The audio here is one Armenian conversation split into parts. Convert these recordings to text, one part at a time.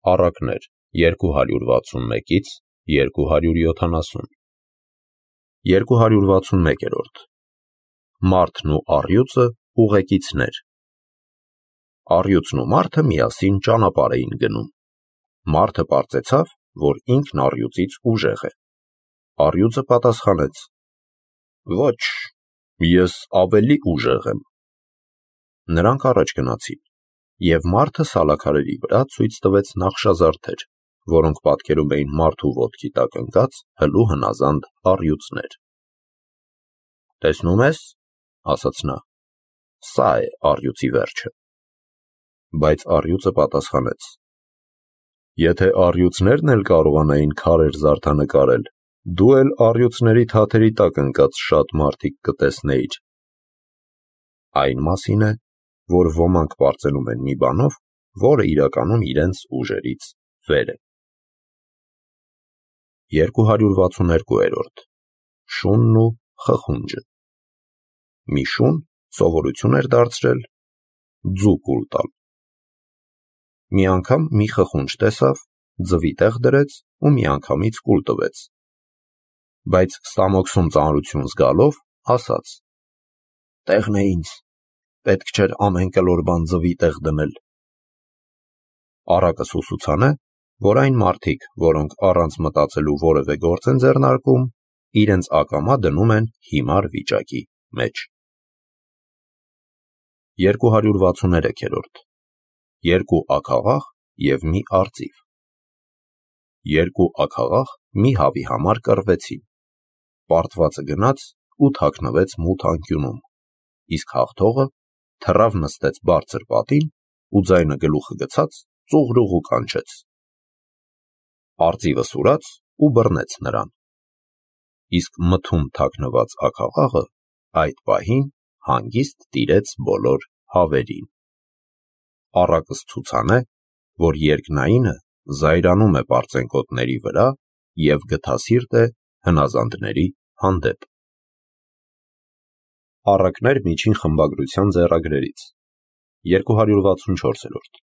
Առակներ 261-ից 270 261-րդ Մարդն ու առյուծը ուղեկիցներ։ Առյուծն ու մարդը միասին ճանապարհ էին գնում։ Մարդը պարծեցավ, որ ինքն առյուծից ուժեղ է։ Առյուծը պատասխանեց. Ոչ, ես ավելի ուժեղ եմ։ Նրանք առաջ գնացին, և մարդը սալաքարերի վրա ցույց տվեց նախշազարդեր, որոնք պատկերում էին մարդու ոտքի տակ ընկած հլու հնազանդ առյուծներ։ Տեսնում ես, ասաց նա, սա է առյուծի վերջը։ Բայց առյուծը պատասխանեց. Եթե առյուծներն էլ կարողանային քարեր զարդանկարել, դու էլ առյուծների թաթերի տակ ընկած շատ մարդիկ կտեսնեիր։ Այն մասին է, որ ոմանք պարծենում են մի բանով, որը իրականում իրենց ուժերից վեր է։ 262-րդ Շունն ու խխունջը։ Մի շուն սովորություն էր դարձրել ձուկ ուլ տալ։ Մի անգամ մի խխունջ տեսավ, ձվի տեղ դրեց ու միանգամից կուլ տվեց։ Բայց ստամոքսում ծանրություն զգալով, ասաց. Տեղն է ինձ, պետք չէր ամեն կլոր բան ձվի տեղ դնել։ Առակս ուսուցան է, որ այն մարդիկ, որոնք առանց մտածելու որևէ գործ են ձեռնարկում, իրենց ակամա դնում են հիմար վիճակի մեջ։ 263-րդ Երկու աքաղաղ և մի արծիվ։ Երկու աքաղաղ մի հավի համար կռվեցին։ Պարտվածը գնաց ու թաքնվեց մութ անկյունում, իսկ հաղթողը թռավ նստեց բարձր պատին ու ձայնը գլուխը գցած ծուղրուղու կանչեց։ Արծիվը սուրաց ու բռնեց նրան։ Իսկ մթում թաքնված աքաղաղը այդ պահին հանգիստ տիրեց բոլոր հավերին։ Առակս ցուցան է, որ երկնայինը զայրանում է պարծենկոտների վրա և գթասիրտ է հնազանդների հանդեպ։ Առակներ միջին խմբագրության ձեռագրերից 264-րդ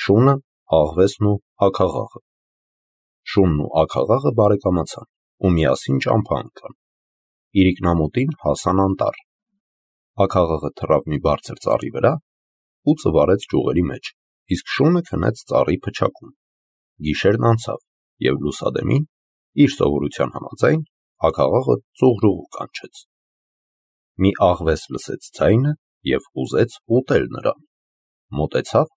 Շունը, աղվեսն ու աքաղաղը։ Շունն ու աքաղաղը բարեկամացան ու միասին ճամփա անցան։ Իրիկնամուտին հասան անտառ։ Աքաղաղը թռավ մի բարձր ծառի վրա ու ծվարեց ճյուղերի մեջ, իսկ շունը քնեց ծառի փչակում։ Գիշերն անցավ, և լուսադեմին, իր սովորության համաձայն, աքաղաղը ծուղրուղու կանչեց։ Մի աղվես լսեց ձայնը և ուզեց ուտել նրան։ Մոտեցավ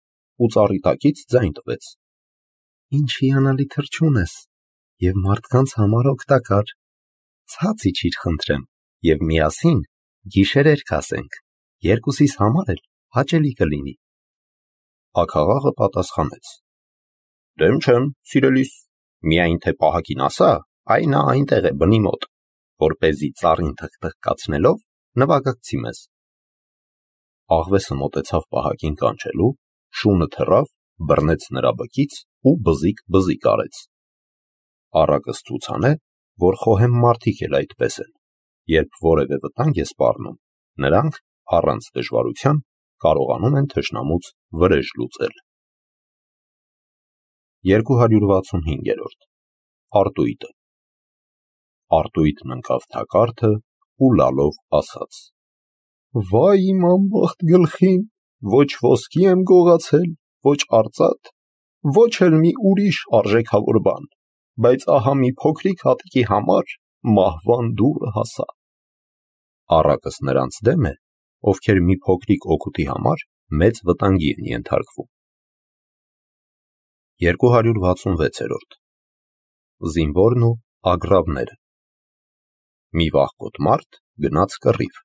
ու ծառի տակից ձայն տվեց. Ինչ հիանալի թռչուն ես և մարդկանց համար օգտակար։ Ցած իջիր խնդրեմ, և միասին գիշերերք ասենք, երկուսիս համար էլ հաճելի կլինի։ Աքաղաղը պատասխանեց. Դեմ չեմ, սիրելիս, միայն թե պահակին ասա, այ նա այնտեղ է բնի մոտ, որպեսզի ծառին թխթխկացնելով նվագակցի մեզ։ Աղվեսը մոտեցավ պահակին կանչելու, շունը թռավ, բռնեց նրա բկից ու բզիկ արեց։ Առակս ցուցան է, որ խոհեմ մարդիկ էլ այդպես են, երբ որևէ վտանգ է սպառնում, նրանք առանց դժվարության կարողանում են թշնամուց վրեժ լուծել։ 265-րդ Արտույտը։ Արտույտն ընկավ թակարդը ու լալով ասաց. Վայ իմ անբախտ գլխին, ոչ ոսկի եմ գողացել, ոչ արծաթ, ոչ էլ մի ուրիշ արժեքավոր բան, բայց ահա մի փոքրիկ հատիկի համար մահվան դուռը հասա։ Առակս նրանց դեմ է, ովքեր մի փոքրիկ օգուտի համար մեծ վտանգի են ենթարկվում։ 266-րդ Զինվորն ու ագռավները։ Մի վախկոտ մարդ գնաց կռիվ։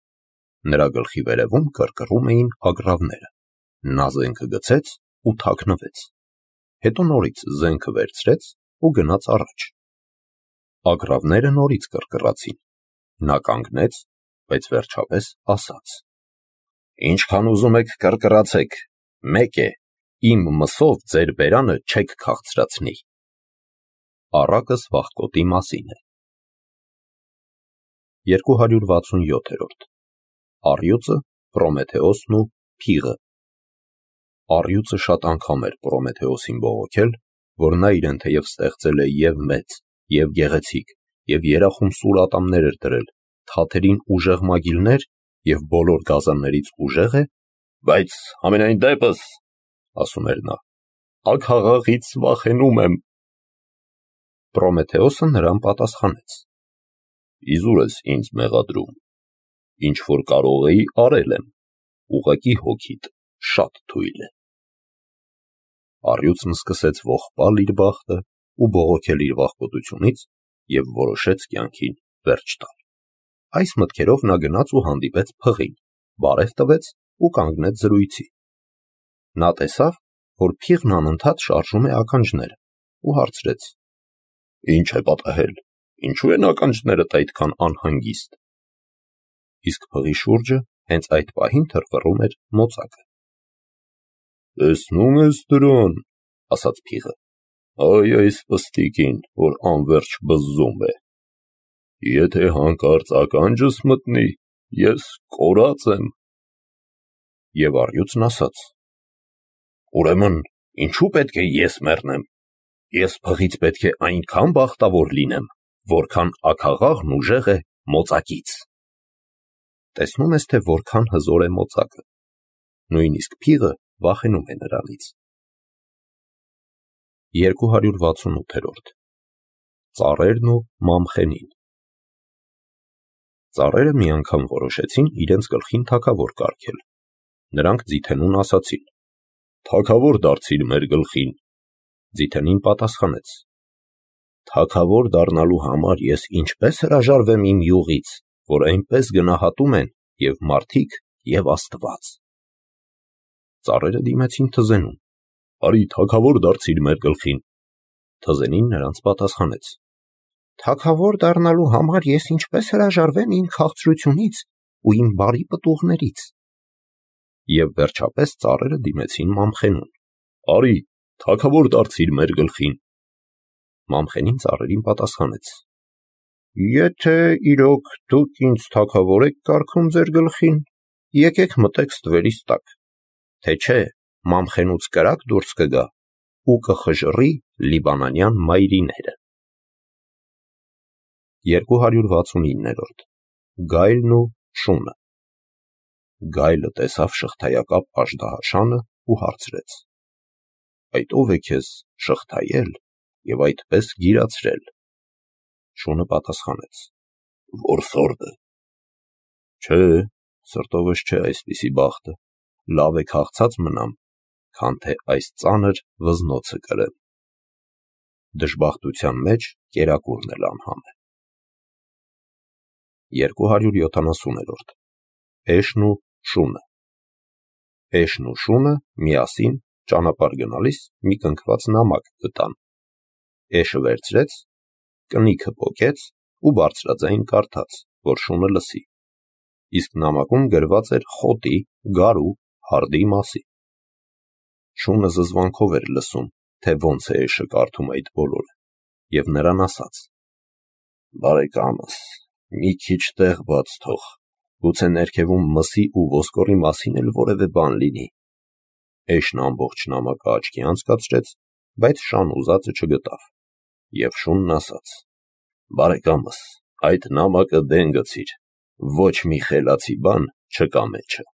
Նրա գլխի վերևում կռկռում էին ագռավները։ Նա զենքը գցեց ու թաքնվեց։ Հետո նորից զենքը վերցրեց ու գնաց առաջ։ Ագռավները նորից կռկռացին։ Նա կանգնեց, բայց վերջապես ասաց. Ինչքան ուզում եք կռկռացեք, մեկ է, իմ մսով ձեր բերանը չեք քաղցրացնի։ Առակս վախկոտի մասին է։ 267-րդ Առյուծը, Պրոմեթեոսն ու փիղը։ Առյուծը շատ անգամ էր Պրոմեթեոսին բողոքել, որ նա իրեն թեև ստեղծել է և մեծ, և գեղեցիկ, և երախում սուր ատամներ էր դրել, թաթերին ուժեղ մագիլներ և բոլոր գազաններից ուժեղ է, բայց ամենայն դեպս, ասում էր նա, աքաղաղից վախենում եմ։ Պրոմեթեոսը նրան պատասխանեց. Իզուր ես ինձ մեղադրում, ինչ որ կարող էի արել եմ, ուղղակի հոգիդ շատ թույլ է։ Առյուծն սկսեց ողբալ իր բախտը ու բողոքել իր վախկոտությունից և որոշեց կյանքին վերջ տալ։ Այս մտքերով նա գնաց ու հանդիպեց փղին, բարև տվեց ու կանգնեց զրույցի։ Նա տեսավ, որ փիղն անընդհատ շարժում է ականջները ու հարցրեց. Ինչ է պատահել, ինչու են ականջներդ այդքան անհանգիստ։ Իսկ փղի շուրջը հենց այդ պահին թրվռում էր մոծակը։ Տեսնում ես դրան, ասաց փիղը, այ այս պստիկին, որ անվերջ բզզում է։ Եթե հանկարծ ականջս մտնի, ես կորած եմ։ Եվ առյուծն ասաց. Ուրեմն ինչու պետք է ես մեռնեմ։ Ես փղից պետք է այնքան բախտավոր լինեմ, որքան աքաղաղն ուժեղ է մոծակից։ Տեսնում ես, թե որքան հզոր է մոծակը։ Նույնիսկ փիղը վախենում է նրանից։ 268-րդ Ծառերն ու Մամխենին։ Ծառերը մի անգամ որոշեցին իրենց գլխին թագավոր կարգել։ Նրանք ձիթենուն ասացին. Թագավոր դարձիր մեր գլխին։ Ձիթենին պատասխանեց. Թագավոր դառնալու համար ես ինչպես հրաժարվեմ իմ յուղից, որ այնպես գնահատում են և մարդիկ, և Աստված։ Ծառերը դիմեցին թզենուն. Արի թագավոր դարձիր մեր գլխին։ Թզենին նրանց պատասխանեց. Թագավոր դառնալու համար ես ինչպես հրաժարվեմ իմ քաղցրությունից ու իմ բարի պտուղներից։ Եվ վերջապես ծառերը դիմեցին Մամխենուն. Արի թագավոր դարձիր մեր գլխին։ Մամխենին ծառերին պատասխանեց. Եթե իրոք դուք ինձ թագավոր եք կարգում ձեր գլխին, եկեք մտեք ստվերիս տակ, թե չէ Մամխենուց կրակ դուրս կգա ու կխժռի լիբանանյան մայրիները։ 269-րդ Գայլն ու շունը։ Գայլը տեսավ շղթայակապ աժդահաշանը ու հարցրեց. Այդ ով է քեզ շղթայել և այդպես գիրացրել։ Շունը պատասխանեց. Որսորդը։ Չէ, սրտովս չէ այսպիսի բախտը, լավ է քաղցած մնամ, քան թե այս ծանր վզնոցը կրեմ։ Դժբախտության մեջ կերակուրն էլ անհամ է։ 270-րդ Էշն ու շունը։ Էշն ու շունը միասին ճանապարհ գնալիս մի կնքված նամակ գտան։ Էշը վերցրեց, կնիքը պոկեց ու բարձրաձայն կարդաց, որ շունը լսի։ Իսկ նամակում գրված էր խոտի, գարու, հարդի մասին։ Շունը զզվանքով էր լսում, թե ոնց է Էշը կարդում այդ բոլորը, և նրան ասաց. Բարեկամս, մի քիչ տեղ բաց թող, գուցե ներքևում մսի ու ոսկորի մասին էլ որևէ բան լինի։ Էշն ամբողջ նամակը աչքի անցկացրեց, բայց շան ուզածը չգտավ։ Եվ շունն ասաց. Բարեկամս, այդ նամակը դեն գցիր, ոչ մի խելացի բան չկա մեջը։